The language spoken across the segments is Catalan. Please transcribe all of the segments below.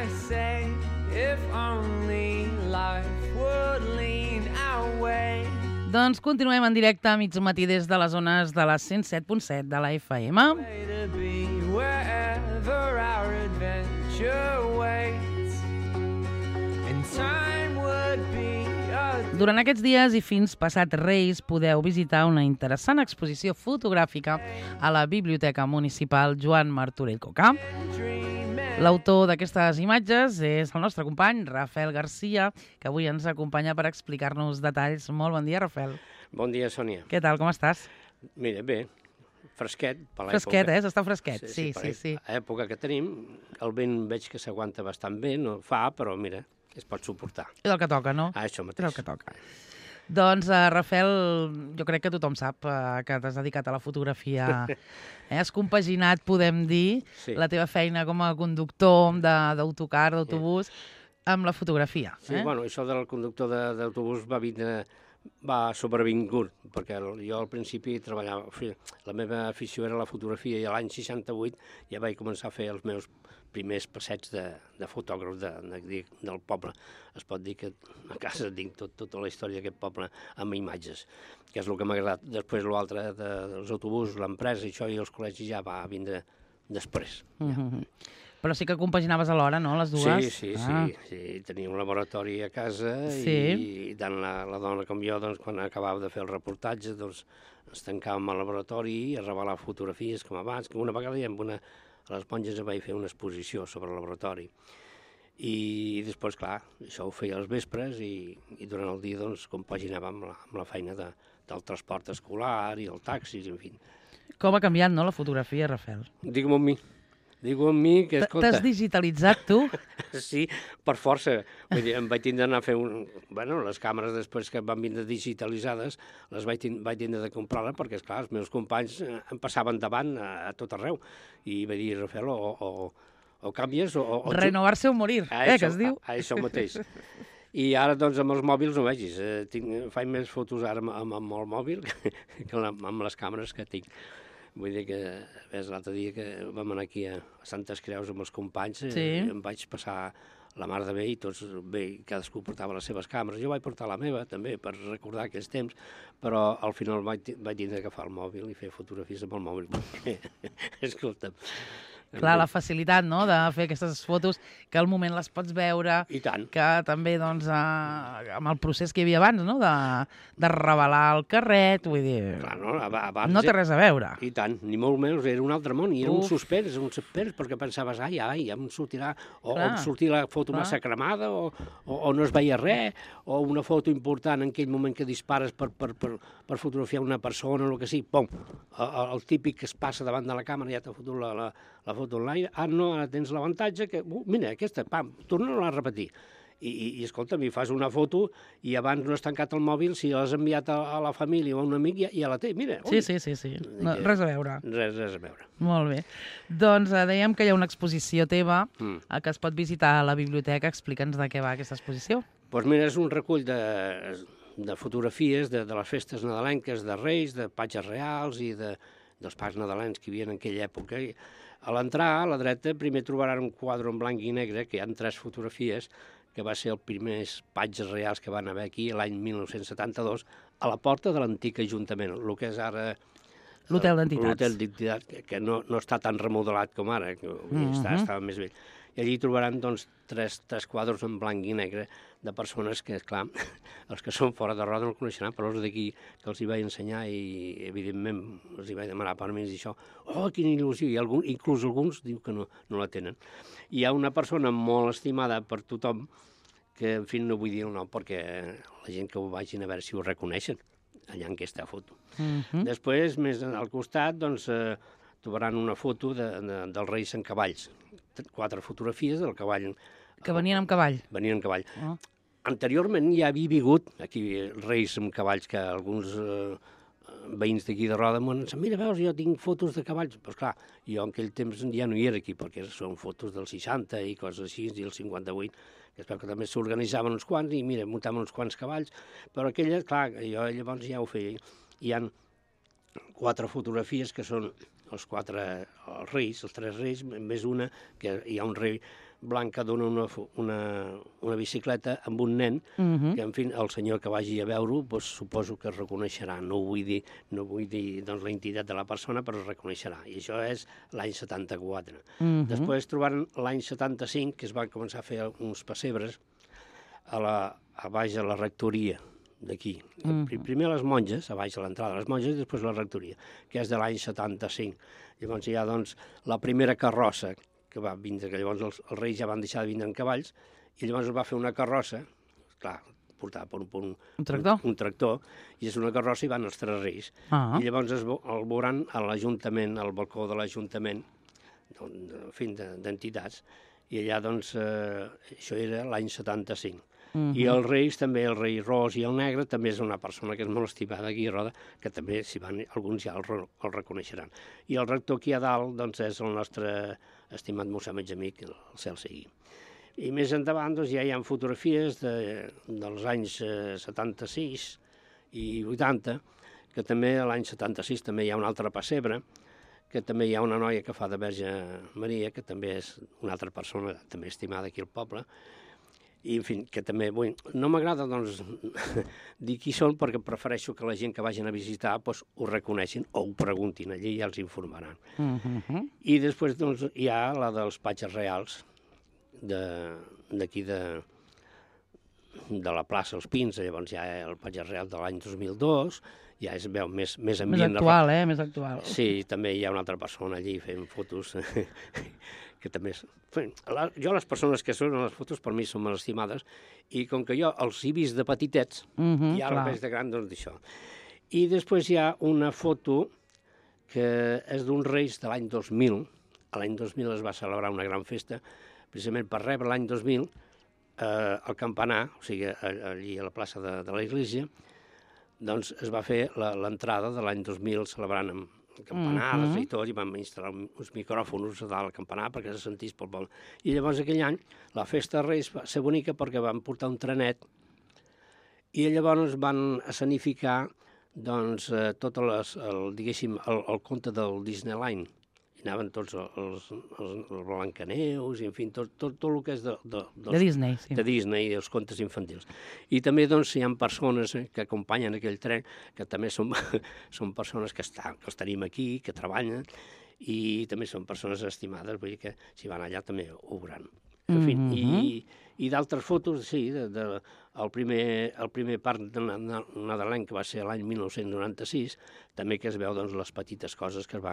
I say, if only life would lean our way. Doncs continuem en directe a mig matí des de les zones de la 107.7 de la FM. Way to be wherever our adventure waits. And time would be a Durant aquests dies i fins passat Reis podeu visitar una interessant exposició fotogràfica a la Biblioteca Municipal Joan Martorell Coca. dream. L'autor d'aquestes imatges és el nostre company, Rafael Garcia, que avui ens acompanya per explicar-nos detalls. Molt bon dia, Rafael. Bon dia, Sònia. Què tal, com estàs? Mira, bé, fresquet per l'època. Fresquet, Està fresquet. Sí. Per l'època que tenim, el vent veig que s'aguanta bastant bé, no fa, però mira, es pot suportar. És el que toca, no? Això És mateix. el que toca. Doncs, Rafael, jo crec que tothom sap que t'has dedicat a la fotografia. Has compaginat, podem dir, Sí. la teva feina com a conductor d'autocar, d'autobús, amb la fotografia. Sí, bueno, això del conductor d'autobús va sobrevingut, perquè jo al principi treballava, la meva afició era la fotografia i l'any 68 ja vaig començar a fer els meus primers passeigs de fotògraf del poble. Es pot dir que a casa tinc tota la història d'aquest poble amb imatges, que és el que m'ha agradat. Després l'altre dels autobusos, l'empresa i això i els col·legis ja va vindre després. Però sí que compaginaves alhora, no?, les dues? Sí. Tenia un laboratori a casa Sí. i tant la dona com jo, doncs, quan acabava de fer el reportatge, doncs, ens tancàvem al laboratori i a revelar fotografies com abans, que una vegada a les Monges vaig fer una exposició sobre el laboratori. I després, clar, això ho feia als vespres i durant el dia, doncs, compaginava amb la feina del transport escolar i el taxi, en fi. Com ha canviat, no?, la fotografia, Rafael. Digue-m'ho amb mi, que escolta... T'has digitalitzat, tu? Sí, per força. Vull dir, em vaig tindre d'anar a fer les càmeres després que van vindre digitalitzades, les vaig tindre de comprar-les perquè, esclar, els meus companys em passaven davant a tot arreu. I vaig dir, Rafael, o canvies o... Renovar-se o morir, que es diu? Això mateix. I ara, doncs, amb els mòbils no vegis. Faig més fotos ara amb el mòbil que amb les càmeres que tinc. Vull dir que, ves, l'altre dia que vam anar aquí a Santes Creus amb els companys, em vaig passar la mar de bé i tots bé, cadascú portava les seves càmeres. Jo vaig portar la meva, també, per recordar aquells temps, però al final vaig tindre d'agafar el mòbil i fer fotografies amb el mòbil, perquè, escolta'm... Clar, la facilitat, no?, de fer aquestes fotos, que al moment les pots veure... I tant. Que també, doncs, amb el procés que hi havia abans, no?, de revelar el carret, vull dir... Clar, no? Abans no té res a veure. I tant, ni molt menys, era un altre món, i era un suspens, perquè pensaves, ja em sortirà, o em sortirà la foto massa cremada, o no es veia res, o una foto important en aquell moment que dispares per fotografiar una persona o el que sigui, pum, el típic que es passa davant de la càmera ja t'ha fotut la foto online, no, ara tens l'avantatge que, mira, aquesta, pam, torna-la a repetir. I escolta, mi fas una foto i abans no has tancat el mòbil, si l'has enviat a la família o a un amic, ja la té, mira. Sí. No, res a veure. Res a veure. Molt bé. Doncs dèiem que hi ha una exposició teva que es pot visitar a la biblioteca. Explica'ns de què va aquesta exposició. Doncs mira, és un recull de fotografies de les festes nadalenques, de Reis, de patges reals i dels pares nadalencs que hi havia en aquella època. A l'entrar, a la dreta, primer trobaran un quadre en blanc i negre, que hi ha 3 fotografies, que va ser els primers patges reals que van haver aquí l'any 1972, a la porta de l'antic Ajuntament, el que és ara... L'Hotel d'Entitats. L'Hotel d'Entitats, que no està tan remodelat com ara, que estava més vell. I allí trobaran, doncs, 3 quadres en blanc i negre de persones que, esclar, els que són fora de Roda no el coneixeran, però els d'aquí que els hi vaig ensenyar i, evidentment, els hi vaig demanar permís i això. Oh, quina il·lusió! I inclús alguns diu que no la tenen. Hi ha una persona molt estimada per tothom, que, en fi, no vull dir el nom, perquè la gent que ho vagin a veure si ho reconeixen, allà en aquesta foto. Després, més al costat, doncs, trobaran una foto dels Reis en cavalls. 4 fotografies del cavall. Que venien amb cavall. Venien amb cavall. Anteriorment ja havia vingut aquí Reis amb cavalls, que alguns veïns d'aquí de Roda m'han dit, mira, veus, jo tinc fotos de cavalls. Però clar, jo en aquell temps ja no hi era aquí, perquè són fotos del 60 i coses així, i el 58, que espero que també s'organitzaven uns quants, i mira, muntaven uns quants cavalls, però aquelles, clar, jo llavors ja ho feia. Hi ha 4 fotografies que són els 4 reis, els 3 reis, més una, que hi ha un rei blanca dona una bicicleta amb un nen, que, en fi, el senyor que vagi a veure-ho, doncs, suposo que es reconeixerà. No vull dir doncs, la identitat de la persona, però es reconeixerà. I això és l'any 74. Després trobaren l'any 75, que es van començar a fer uns pessebres a baix de la rectoria d'aquí. Primer les monges, a baix de l'entrada de les monges, i després la rectoria, que és de l'any 75. Llavors hi ha, doncs, la primera carrossa que va vindre, que llavors els reis ja van deixar de vindre en cavalls, i llavors es va fer una carrossa, clar, portada per un tractor, i és una carrossa i van els tres reis. I llavors el veuran a l'Ajuntament, al balcó de l'Ajuntament, en fi, d'entitats, i allà, doncs, això era l'any 75. I els reis, també el rei Ros i el Negre, també és una persona que és molt estimada aquí a Roda, que també, si van, alguns ja el reconeixeran. I el rector aquí a dalt, doncs, és el nostre estimat mossèn Benjamí, que el cel sigui. I més endavant, doncs, ja hi ha fotografies dels anys 76 i 80, que també l'any 76 també hi ha un altre pessebre, que també hi ha una noia que fa de Verge Maria, que també és una altra persona també estimada aquí al poble, i, en fi, que també, no m'agrada, doncs, dir qui són, perquè prefereixo que la gent que vagin a visitar doncs, ho reconeixin o ho preguntin, allí ja els informaran. I després, doncs, hi ha la dels patges reals, d'aquí de la plaça Els Pins, llavors hi ha el patge real de l'any 2002, ja es veu més ambient. Més actual, més actual. Sí, també hi ha una altra persona allí fent fotos, que també és... Jo, les persones que són a les fotos, per mi són molt estimades, i com que jo els he vist de petitets, i ara els veig de gran, doncs d'això. I després hi ha una foto que és d'uns reis de l'any 2000. L'any 2000 es va celebrar una gran festa, precisament per rebre l'any 2000 al campanar, o sigui, allí a la plaça de l'església, doncs es va fer l'entrada de l'any 2000 celebrant amb campanades i tot, i vam instal·lar uns micròfons a dalt al campanar perquè se sentís pel poble. I llavors aquell any la festa de Reis va ser bonica perquè van portar un trenet i llavors van escenificar doncs, tot el conte del Disneyland. Hi anaven tots els Blancaneus, i en fi, tot el que és de Disney, sí. De Disney, els contes infantils. I també doncs, hi ha persones que acompanyen aquell tren, que també són persones que els tenim aquí, que treballen, i també són persones estimades, vull dir que si van allà també ho veuran. En fi, i d'altres fotos, sí, el primer parc nadalenc, que va ser l'any 1996, també que es veu doncs, les petites coses que es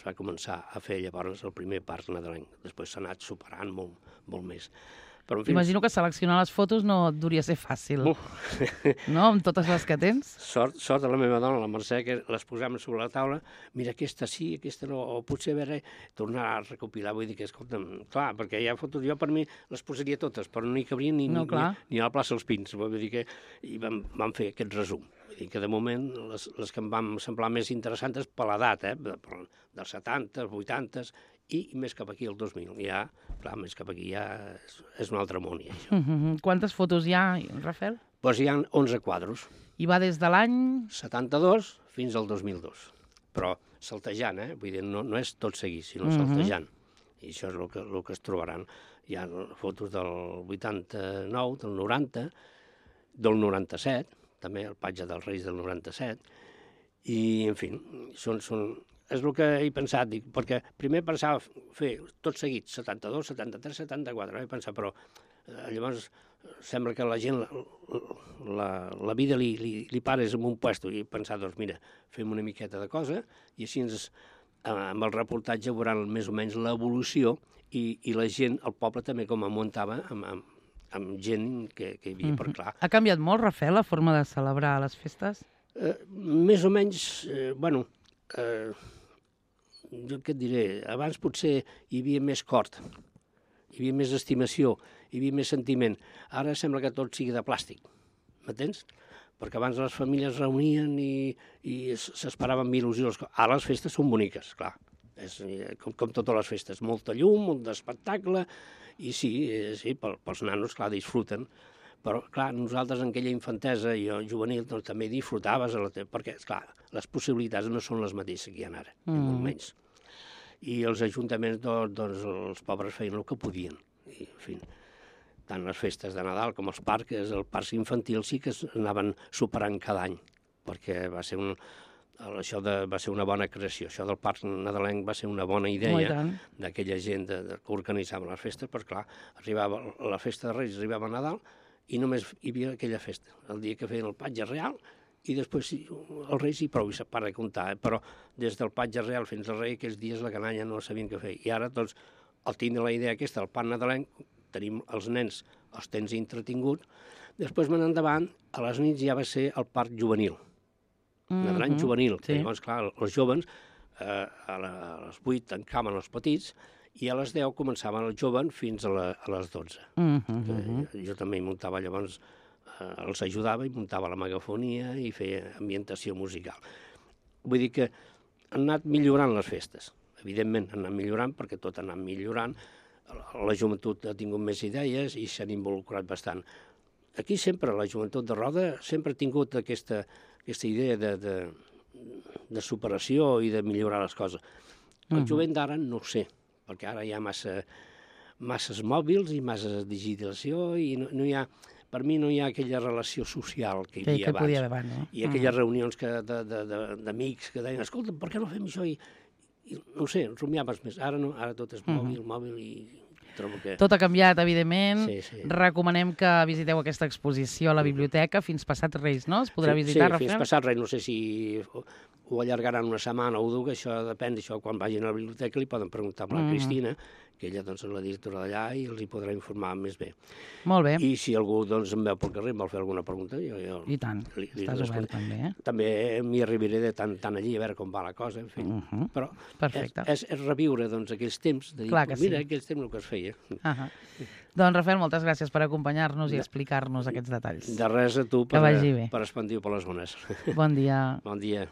va començar a fer llavors el primer parc nadalenc. Després s'ha anat superant molt més. Però, en fi, imagino que seleccionar les fotos no et duria ser fàcil, no? Amb totes les que tens. Sort de la meva dona, la Mercè, que les posem sobre la taula, mira, aquesta sí, aquesta no, o potser tornar a recopilar, vull dir que, escolta'm, clar, perquè hi ha fotos, jo per mi les posaria totes, però no hi cabria ni a la plaça dels Pins, vull dir que vam fer aquest resum. Vull dir que de moment les que em van semblar més interessants per l'edat, dels 70, 80, i més cap aquí, el 2000. Ja, clar, més cap aquí ja és un altre món, ja, això. Quantes fotos hi ha, Rafael? Doncs hi ha 11 quadros. I va des de l'any... 72 fins al 2002. Però saltejant, vull dir, no és tot seguit, sinó saltejant. I això és el que es trobaran. Hi ha fotos del 89, del 90, del 97, també el patge dels Reis del 97, i, en fi, és el que he pensat, dic, perquè primer pensava fer tot seguit, 72, 73, 74, he pensat, però llavors sembla que la gent, la vida li pares en un puesto, i he pensat, doncs mira, fem una miqueta de cosa, i així amb el reportatge veuran més o menys l'evolució, i la gent, el poble també com em muntava amb gent que hi havia per clar. Ha canviat molt, Rafael, la forma de celebrar les festes? Més o menys, jo què et diré, abans potser hi havia més cort, hi havia més estimació, hi havia més sentiment. Ara sembla que tot sigui de plàstic, m'entens? Perquè abans les famílies es reunien i s'esperaven amb il·lusió. Ara les festes són boniques, clar, és com totes les festes, molta llum, molt d'espectacle, i sí, pels nanos, clar, disfruten. Però, clar, nosaltres en aquella infantesa i juvenil doncs, també disfrutaves, perquè, clar, les possibilitats no són les mateixes que hi ha ara, ni molt menys. I els ajuntaments, doncs, els pobres feien el que podien. i en fi, tant les festes de Nadal com els parcs infantils sí que anaven superant cada any, perquè va ser va ser una bona creació. Això del parc nadalenc va ser una bona idea d'aquella gent que organitzava les festes, però clar, arribava la festa de Reis, arribava a Nadal i només hi havia aquella festa, el dia que feien el patge real, i després els Reis i prou, i se para de comptar, però des del patge real fins al Rei, aquells dies la canalla no sabien què fer. I ara, doncs, al tindre la idea aquesta, el parc nadalenc, tenim els nens, els tens entretinguts, després més endavant, a les nits ja va ser el parc juvenil, nadalenc juvenil, que llavors, clar, els joves a les 8 tancaven els petits i a les 10 començaven els joves fins a les 12. Jo també hi muntava llavors, els ajudava i muntava la megafonia i feia ambientació musical. Vull dir que han anat millorant les festes. Evidentment, han anat millorant perquè tot ha anat millorant. La joventut ha tingut més idees i s'han involucrat bastant. Aquí sempre, la joventut de Roda sempre ha tingut aquesta idea de superació i de millorar les coses. El jovent d'ara no ho sé, perquè ara hi ha masses mòbils i massa digitalització i no hi ha, per mi no hi ha aquella relació social que hi havia abans. I aquelles reunions d'amics que deien, escolta, per què no fem això? I no ho sé, rumiaves més. Ara no, ara tot és mòbil i trobo que... Tot ha canviat, evidentment. Recomanem que visiteu aquesta exposició a la biblioteca fins passat Reis, no? Es podrà visitar, Rafael? Sí, fins passat Reis. No sé si ho allargaran una setmana o dues, això depèn, quan vagin a la biblioteca li poden preguntar a la Cristina, que ella és la directora d'allà i els hi podrà informar més bé. Molt bé. I si algú em veu pel carrer i em vol fer alguna pregunta, jo... I tant, estàs obert també, eh? També m'hi arribaré de tant allí a veure com va la cosa, en fi. Però és reviure aquells temps, de dir, mira, aquells temps el que es feia. Doncs, Rafael, moltes gràcies per acompanyar-nos i explicar-nos aquests detalls. De res a tu per expandir per les zones. Bon dia. Bon dia.